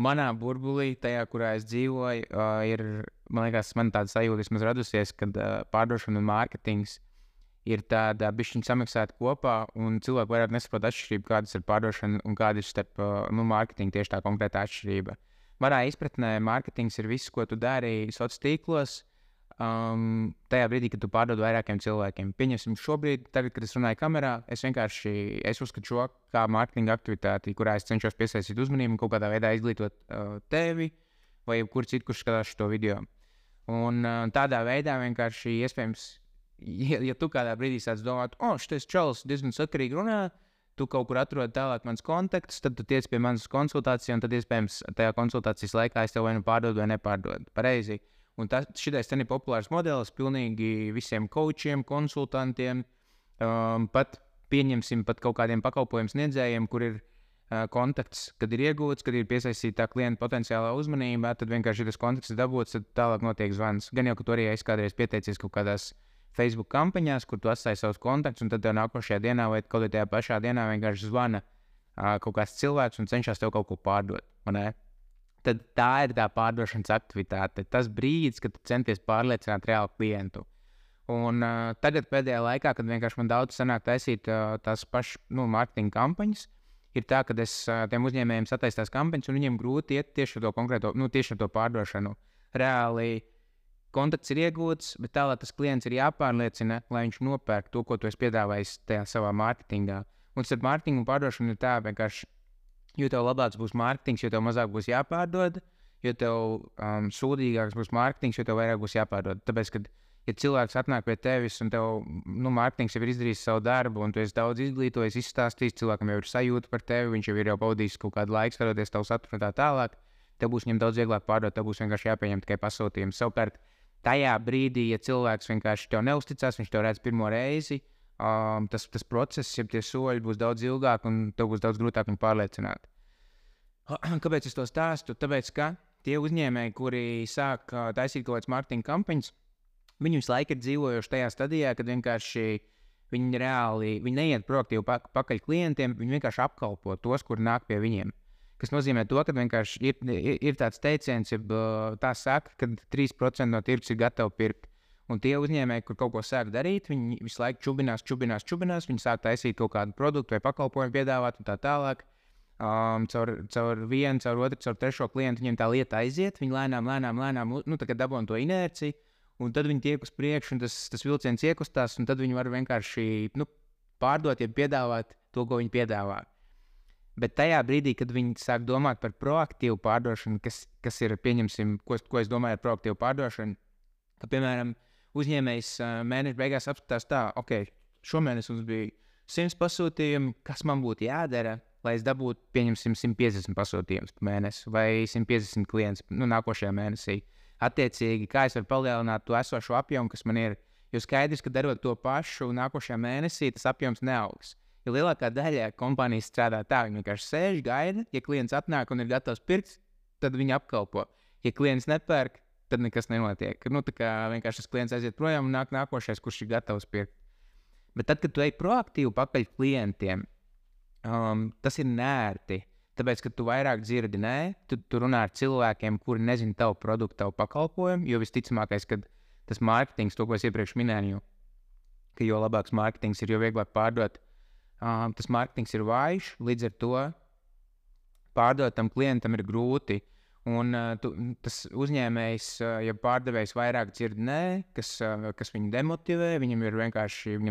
manā burbulī, tajā, kurā es dzīvoju, ir, man liekas, man tāda sajūta vismaz radusies, kad pārdošana un mārketings ir tāda bišķiņa samaksāta kopā, un cilvēki vairāk nesaprot atšķirību, kādas ir pārdošana un kāda ir starp mārketingu tieši tā konkrēta atšķirība. Manā izpratnē mārketings ir viss, ko tu dari sociālos tīklos, tajā brīdī, kad tu pārdod vairākiem cilvēkiem. Pieņemsim šobrīd, tagad, kad es runāju kamerā, es uzskatu šo kā mārketinga aktivitāti, kurā es cenšos piesaistīt uzmanību un kaut kādā veidā izglītot tevi vai jebkuru citu, kurš skatās šo video. Un tādā veidā vienkārši iespējams, ja tu kādā brīdī sāc domāt, šitais čalis diezgan sakarīgi runā, tu kaut kur atrod tālāk mans kontakts, tad tu tiec pie manas konsultācijas, un tad iespējams tajā konsultācijas laikā es tev vai nu pārdodu vai nepārdodu. Pareizi. Un šitais ten ir populārs modelis pilnīgi visiem coachiem, konsultantiem, pat pieņemsim pat kaut kādiem pakalpojumu sniedzējiem, kur ir kontakts, kad ir iegūts, kad ir piesaistīta klienta potenciālā uzmanība, tad vienkārši tas kontakts ir dabūts, tad tālāk notiek zvans. Gan jau, ka tu arī esi kādreiz pieteicies kaut kādās Facebook kampaņās, kur tu atstāji savus kontaktus, un tad tev nākošajā dienā vai kaut kādā tajā pašā dienā vienkārši zvana kaut kāds cilvēks un cenšas tev kaut ko pārdot. Tad tā ir tā pārdošanas aktivitāte. Tas brīdis, kad tu centies pārliecināt reālu klientu. Un tagad pēdējā laikā, kad vienkārši man daudz sanāk taisīt tās pašas mārketinga kampaņas, ir tā, ka es tiem uzņēmējiem sataisu tās kampaņas, un viņiem grūti iet tieši ar to konkrēto, tieši ar to pārdošanu. Reāli kontakts ir iegūts, bet tālāk tas klients ir jāpārliecina, lai viņš nopērk to, ko tu esi piedāvājis tajā savā mārketingā. Un starp mārketingu un pārdošanu ir tā vienkārši, jo tev labāks būs mārketings, jo tev mazāk būs jāpārdod, jo tev sūdīgāks būs mārketings, jo tev vairāk būs jāpārdod. Tāpēc, kad ja cilvēks atnāk pie tevis un tev mārketings jau ir izdarījis savu darbu un tu esi daudz izglītojis, izstāstījis, cilvēkam jau ir sajūta par tevi, viņš jau ir pavadījis kaut kādu laiku, skatoties tavu saturu un tā tālāk, tev būs viņam daudz vieglāk pārdot, tev būs vienkārši jāpieņem tikai pasūtījums. Savukārt, tajā brīdī, ja cilvēks vienkārši tev neusticās, viņš tev redz pirmo reizi, tas process, ja tie soļi būs daudz ilgāk un tev būs daudz grūtāk viņu pārliecināt. Kāpēc es to stāstu? Tāpēc, ka tie uzņēmēji, kuri sāk taisīt kaut kādas mārketinga kampaņas, viņi visu laiku ir dzīvojuši tajā stadijā, kad vienkārši viņi neiet proaktīvi pakaļ klientiem, viņi vienkārši apkalpo tos, kuri nāk pie viņiem. Kas nozīmē to, ka vienkārši ir tāds teiciens, ja tā saka, ka 3% no tirgus ir gatavi pirkt. Un tie uzņēmēji, kur kaut ko sāk darīt, viņi visu laiku čubinās, viņi sāk taisīt kaut kādu produktu vai pakalpojumu piedāvāt un tā tālāk. Caur vienu, caur otru, caur trešo klientu viņiem tā lieta aiziet, viņi lēnām, dabūna to inerciju, un tad viņi tiek uz priekšu, un tas vilciens iekustās, un tad viņi var vienkārši pārdot, ja piedāvāt to, ko viņi piedāvā. Bet tajā brīdī, kad viņi sāk domāt par proaktīvu pārdošanu, kas ir, pieņemsim, ko es domāju ar proaktīvu pārdošanu, ka, piemēram, uzņēmējs mēneša beigās apskatās tā, šomēnes mums bija 100 pasūtījumi, kas man būtu jādara, lai es dabūtu, pieņemsim, 150 pasūtījumus pa mēnesi vai 150 klientus nākošajā mēnesī. Attiecīgi, kā es varu palielināt to esošo apjomu, kas man ir, jo skaidrs, ka darot to pašu nākošajā mēnesī, tas apjoms neaugs. Jo lielākā daļa kompānijas strādā tā, viņi vienkārši sēž, gaida, ja klients atnāk un ir gatavs pirkt, tad viņi apkalpo. Ja klients nepērk, tad nekas nenotiek. Tā kā vienkārši tas klients aiziet projām un nāk nākošais, kurš ir gatavs pirkt. Bet tad, kad tu ej proaktīvi pakaļ klientiem, tas ir nērti. Tāpēc, ka tu vairāk dzirdi, tu runā ar cilvēkiem, kuri nezina tavu produktu, tavu pakalpojumu, jo visticamākais, ka tas mārketings, to, ko es iepriekš minēju, ka jo labāks mārketings ir, jo vieglāk pārdot, tas mārketings ir vājš, līdz ar to pārdot tam klientam ir grūti. Un tas uzņēmējs, ja pārdevējs vairāk dzird kas viņu demotivē, viņam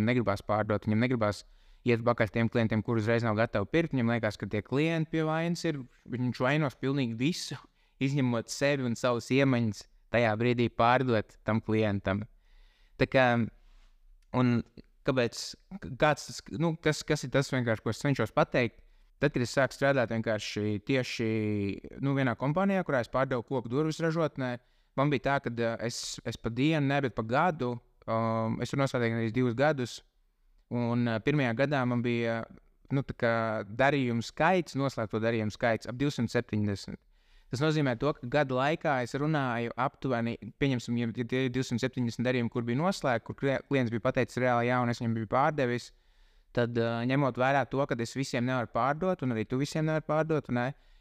negribās pārdot, viņam negribās iet pakaļ tiem klientiem, kur uzreiz nav gatavi pirkt. Viņam liekas, ka tie klienti pie vainas ir, viņš vainos pilnīgi visu, izņemot sevi un savus iemaņas tajā brīdī pārdot tam klientam. Tā kā, un kāpēc, kas ir tas vienkārši, ko es cenšos pateikt? Tad, kad es sāku strādāt vienkārši tieši vienā kompānijā, kurā es pārdevu koku durvis ražotnē, man bija tā, ka es pa dienu, bet pa gadu, es tur nosādīju arī 2 gadus, un pirmajā gadā man bija darījumu skaits, noslēgto darījumu skaits ap 270. Tas nozīmē to, ka gadu laikā es runāju aptuveni, pieņemsim, ja tie 270 darījumi, kur bija noslēgti, kur klients bija pateicis reāli jā, un es viņam biju pārdevis, tad ņemot vērā to, ka es visiem nevaru pārdot, un arī tu visiem nevari pārdot,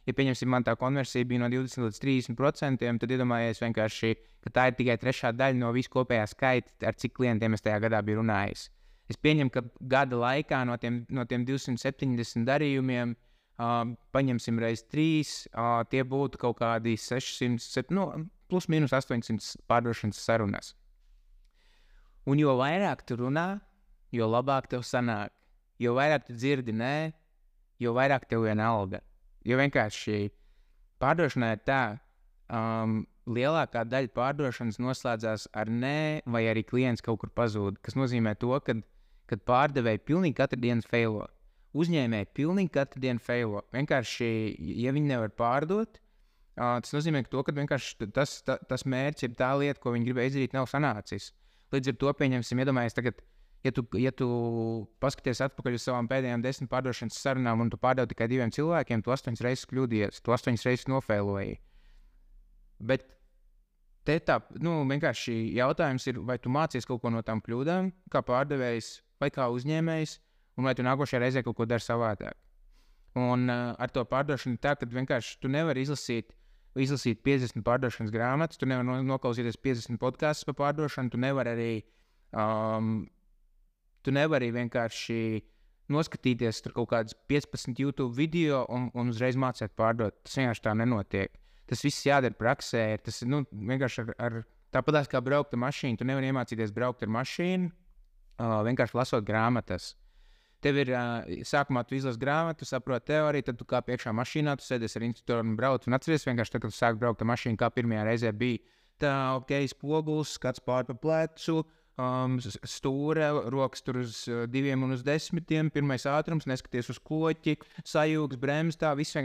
Ja pieņemsim, man tā konversija bija no 20 līdz 30%, tad iedomājies vienkārši, ka tā ir tikai trešā daļa no visu kopējā skaita, ar cik klientiem es tajā gadā biju runājis. Es pieņemu, ka gada laikā no tiem 270 darījumiem paņemsim reiz 3, tie būtu kaut kādi 600, plus mīnus 800 pārdošanas sarunas. Un jo vairāk tu runā, jo labāk tev sanāk. Jo vairāk tu dzirdi nē, jo vairāk tev vienalga. Jo vienkārši pārdošanā ir tā, lielākā daļa pārdošanas noslēdzās ar nē, vai arī klients kaut kur pazūd. Kas nozīmē to, kad pārdevēji pilnīgi katru dienu failo. Uzņēmēji pilnīgi katru dienu failo. Vienkārši, ja viņi nevar pārdot, tas nozīmē to, ka vienkārši tas mērķis ir tā lieta, ko viņi gribēja izdarīt, nav sanācis. Līdz ar to pieņemsim, iedomājies tagad, ja tu paskaties atpakaļ uz savām pēdējām 10 pārdošanas sarunām un tu pārdevi tikai 2 cilvēkiem, tu 8 reizes kļūdījies, tu 8 reizes nofeiloji. Bet te tā, vienkārši jautājums ir, vai tu mācies kaut ko no tām kļūdām, kā pārdevējs vai kā uzņēmējs, un vai tu nākošajā reizē kaut ko dari savādāk. Un ar to pārdošanu tā, ka vienkārši tu nevari izlasīt 50 pārdošanas grāmatas, tu nevari noklausīties 50 podkastus par pārdošanu, tu nevari vienkārši noskatīties tur kaut kādas 15 YouTube video un uzreiz mācīt pārdot. Tas vienkārši tā nenotiek. Tas viss jādara praksē. Tas vienkārši tāpatās kā braukt ar mašīnu. Tu nevari iemācīties braukt ar mašīnu, vienkārši lasot grāmatas. Tev ir sākumā tu izlasi grāmatu, saproti teoriju, tad tu kā iekšā mašīnā, tu sēdies ar instruktoru un brauc. Un atceries vienkārši, kad tu sāk braukt ar mašīnu, kā pirmajā reizē bija. Tā, spogulis, skats pār pa plecu, stūre, rokas tur uz 2 un uz 10, pirmais ātrums, neskaties uz kloķi, sajūgs, bremzes, tā, viss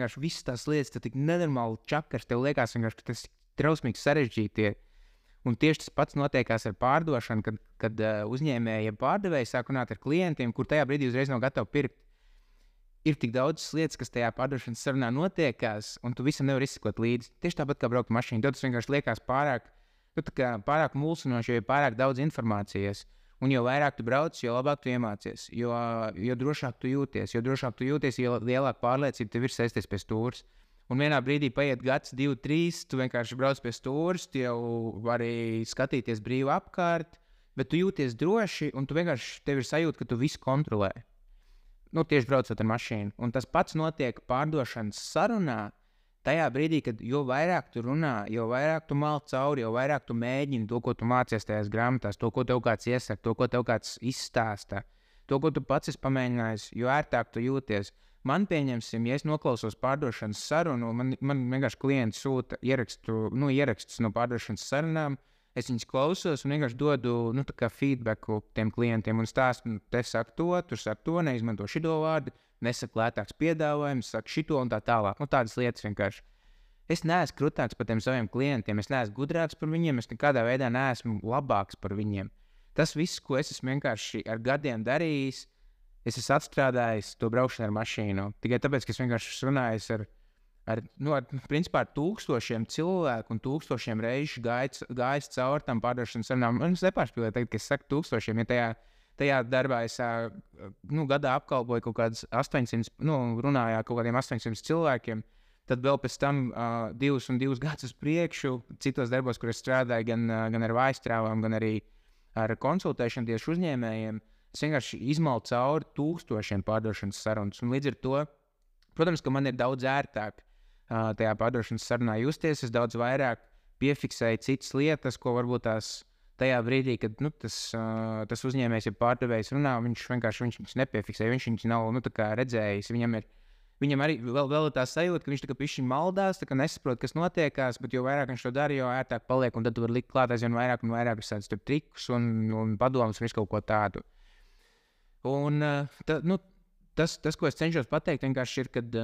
tās lietas, tad tik nenormāli čakars, tev liekas vienkārši, ka tas trausmīgi sarežģīti ir. Un tieši tas pats notiekās ar pārdošanu, kad uzņēmēji ja pārdevēji sāk runāt ar klientiem, kur tajā brīdī uzreiz nav gatavi pirkt. Ir tik daudz lietas, kas tajā pārdošanas sarunā notiekās, un tu visam nevari izsekot līdzi. Tieši tāpat kā braukt mašīnu, tad tas vienkārši liekas pārāk mulsinoši, jo ir pārāk daudz informācijas. Un jo vairāk tu brauc, jo labāk tu iemācies, jo drošāk tu jūties. Jo drošāk tu jūties, jo lielāka pārliecība tev ir sēsties pie stūres. Un vienā brīdī paiet gads, 2, 3, tu vienkārši brauc pie stūres, tu jau vari skatīties brīvi apkārt, bet tu jūties droši, un tev ir sajūta, ka tu visu kontrolē. Tieši braucot ar mašīnu. Un tas pats notiek pārdošanas sarunā, tajā brīdī, kad jo vairāk tu runā, jo vairāk tu malc cauri, jo vairāk tu mēģini to, ko tu mācies tajās grāmatās, to, ko tev kāds iesaka, to, ko tev kāds izstāsta, to, ko tu pats esi pamēģinājis, jo ērtāk tu jūties. Man pieņemsim, ja es noklausos pārdošanas sarunu, man vienkārši klients sūta ierakstus no pārdošanas sarunām, es viņus klausos un vienkārši dodu feedbacku tiem klientiem un stāstu, te saka tur saka to, neizmanto šito vārdu, nesaka lētāks piedāvājums, saka šito un tā tālāk. Tādas lietas vienkārši. Es neesmu krutāks par tiem saviem klientiem, es neesmu gudrāks par viņiem, es nekādā veidā neesmu labāks par viņiem. Tas viss, ko es esmu vienkārši ar gadiem darījis, es esmu atstrādājis to braukšanu ar mašīnu. Tikai tāpēc, ka es vienkārši runāju ar tūkstošiem cilvēku un tūkstošiem reižu gājis cauri tam pārdošanas sarunām. Man nepārspīlēja tagad, ka es saku tūkstošiem, ja tajā darbā es gadā apkalpoju kaut kādus 800, runāju kaut kādiem 800 cilvēkiem, tad vēl pēc tam 2 gadus uz priekšu, citos darbos, kur es strādāju gan ar vājstrāvām, gan arī ar konsultēšanu tieši uzņēmējiem, es vienkārši izmalu cauri tūkstošiem pārdošanas sarunas. Un līdz ar to, protams, ka man ir daudz ērtāk tajā pārdošanas sarunā justies. Es daudz vairāk piefiksēju citas lietas, ko varbūt tajā brīdī, kad tas uzņēmējs, ja pārdevējs runā, viņš viņus nepiefiksē, viņš viņus nav redzējis. Viņam arī vēl tā sajūta, ka viņš pišķiņ maldās, nesaprot, kas notiekās, bet jo vairāk viņš to dara, jo ērtāk paliek, un tad tu vari likt klāt aizvien vairāk un vairāk visādus trikus un padomus un visu kaut ko tādu. Un tas, ko es cenšos pateikt, vienkārši ir, kad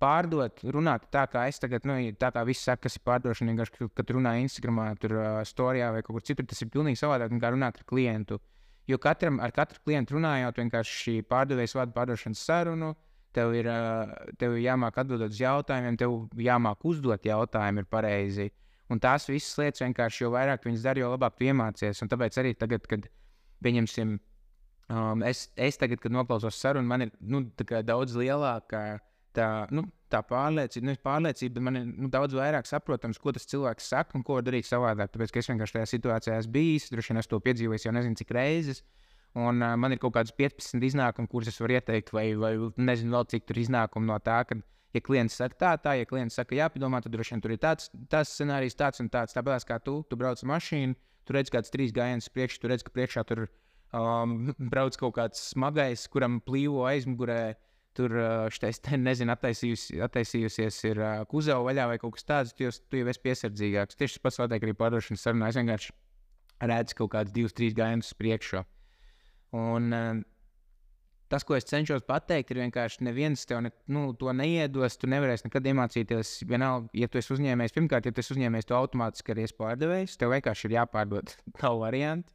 pārdot, runāt tā, kā es tagad, tā kā viss saka, kas ir pārdošana, vienkārši, kad runā Instagramā, tur storijā vai kaut kur citur, tas ir pilnīgi savādāk nekā runāt ar klientu. Jo ar katru klientu runājot, vienkārši pārdevējs vada pārdošanas sarunu, tev ir jāmāk atbildot uz jautājumiem, tev jāmāk uzdot jautājumi ir pareizi. Un tās visas lietas vienkārši, jo vairāk viņas dara, jo labāk tu iemācies. Un tāpēc arī tagad, kad pieņemsim, es tagad, kad noklausos sarunu, man ir daudz lielāka tā pārliecība, bet man ir daudz vairāk saprotams, ko tas cilvēks saka un ko darīt savādāk. Tāpēc, ka es vienkārši tajā situācijā esmu bijis, droši vien es to piedzīvoju jau nezinu cik reizes. Un man ir kaut kādas 15 iznākumi, kurus es varu ieteikt, vai nezinu vēl cik tur iznākumi no tā, ka, ja klients saka tā, ja klients saka jāpadomā, tad droši vien tur ir tāds scenārijs, tāds un tāds. Tāpēc kā tu brauc mašīnu, tu redz kāds 3 gājienus priekš, tu redz, ka priekšā tur brauc kaut kāds smagais, kuram plīvo aizmugurē, tur nezinu, attaisījusies ir kuzava vaļā vai kaut kas tāds, tu jau esi piesardzīgāks. Tieši tas pats notiek arī pārdošanas sarunā. Es vienkārši redzu kaut kādus 2-3 gājienus priekšā. Un tas, ko es cenšos pateikt, ir vienkārši neviens tev to neiedos, tu nevarēsi nekad iemācīties. Vienalga, ja tu esi uzņēmējs, pirmkārt, ja tu esi uzņēmējs, tu automātiski arī esi pārdevējs, tev vienkārši ir jāpārdod tavu variantu.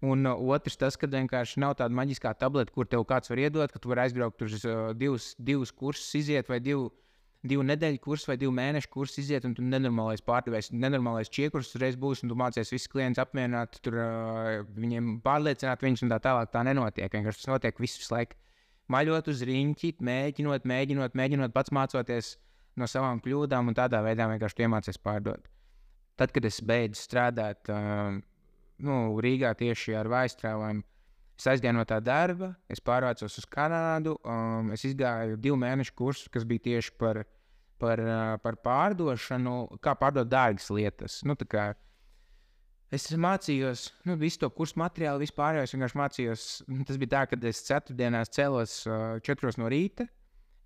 Un otrs tas, ka vienkārši nav tāda maģiskā tableta, kur tev kāds var iedot, ka tu vari aizbraukt uz divus kursus iziet, vai divu nedēļu kursus, vai 2 mēnešu kursus iziet, un tu nenormālais pārdevējs, nenormālais čiekurs uzreiz būs, un tu mācies visus klientus apmierināt, tur viņiem pārliecināt viņus, un tā tālāk tā nenotiek. Vienkārši tas notiek visu laiku maļot uz riņķi, mēģinot, pats mācoties no savām kļūdām, un tādā veidā vienkārši tu iemācies pārdot. Tad, kad es beidzu strādāt Rīgā tieši ar vājstrāvām, es aizgāju no tā darba, es pārvācos uz Kanādu, es izgāju 2 mēnešu kursu, kas bija tieši par pārdošanu, kā pārdot dārgas lietas. Es mācījos, visu to kursu materiālu, vispār es vienkārši mācījos. Tas bija tā, ka es ceturtdienās cēlos 4 no rīta,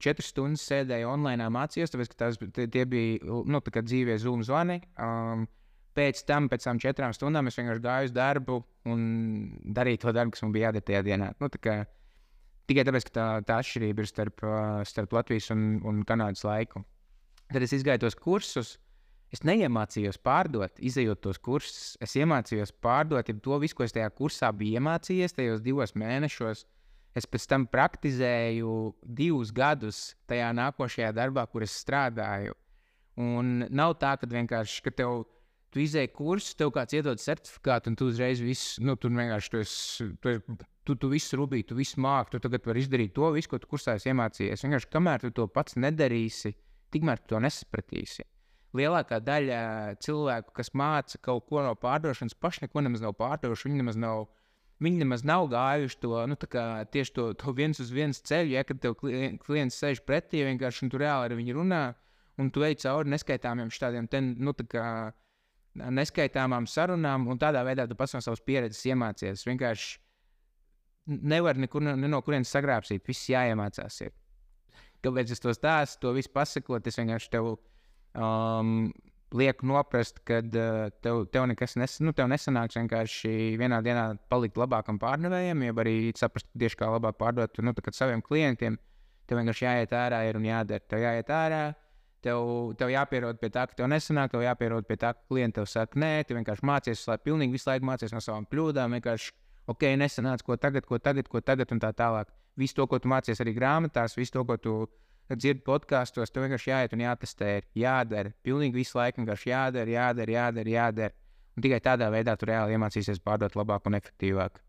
4 stundas sēdēju online, mācījos, tāpēc, ka tie bija dzīvie Zoom zvani. Pēc tam 4 stundām es vienkārši gāju uz darbu un darīju to darbu, kas man bija jādara tajā dienā. Tikai tāpēc, ka tā atšķirība ir starp Latvijas un Kanādas laiku. Tad es izgāju tos kursus, es neiemācījos pārdot, izejot tos kursus. Es iemācījos pārdot to visu, ko es tajā kursā biju iemācījies, tajos 2 mēnešos. Es pēc tam praktizēju 2 gadus tajā nākošajā darbā, kur es strādāju. Un nav tā, ka vienkārši, ka tu izēji kursus, tev kāds iedod certifikātu, un tu uzreiz visu, tur vienkārši tu visu rubīji, tu visu māki, tu tagad vari izdarīt to visu, ko tu kursā esi iemācījies. Vienkārši, kamēr tu to pats nedarīsi, tikmēr tu to nesapratīsi. Lielākā daļa cilvēku, kas māca kaut ko no pārdošanas, paši neko nemaz nav pārdojuši, viņi nemaz nav gājuši to, tieši to viens uz viens ceļu, kad tev klients sēž pretī, vienkārši, un tu reāli ar viņu runā, un tu ej cauri neskaitāmiem šādiem neskaitāmām sarunām, un tādā veidā tu pats no savas pieredzes iemācies. Vienkārši nevar no kurienes sagrābsīt, viss jāiemācās. Kāpēc es to stāstu, to visu pasakot, es vienkārši tev lieku noprast, ka tev nekas tev nesanāks vienkārši vienā dienā palikt labākam pārdevējam, jeb arī saprast tieši kā labāk pārdot saviem klientiem. Tev vienkārši jāiet ārā un jādara. Tev jāiet ārā. Tev jāpierod pie tā, ka tev nesanāk, tev jāpierod pie tā, ka klienti tev saka, nē, tu vienkārši mācies, pilnīgi visu laiku mācies no savām kļūdām, vienkārši, nesanāc, ko tagad un tā tālāk. Visu to, ko tu mācies arī grāmatās, visu to, ko tu dzirdi podkastos, tev vienkārši jāiet un jātestē, jādara, pilnīgi visu laiku vienkārši jādara. Un tikai tādā veidā tu reāli iemācīsies pārdot labāk un efektīvāk.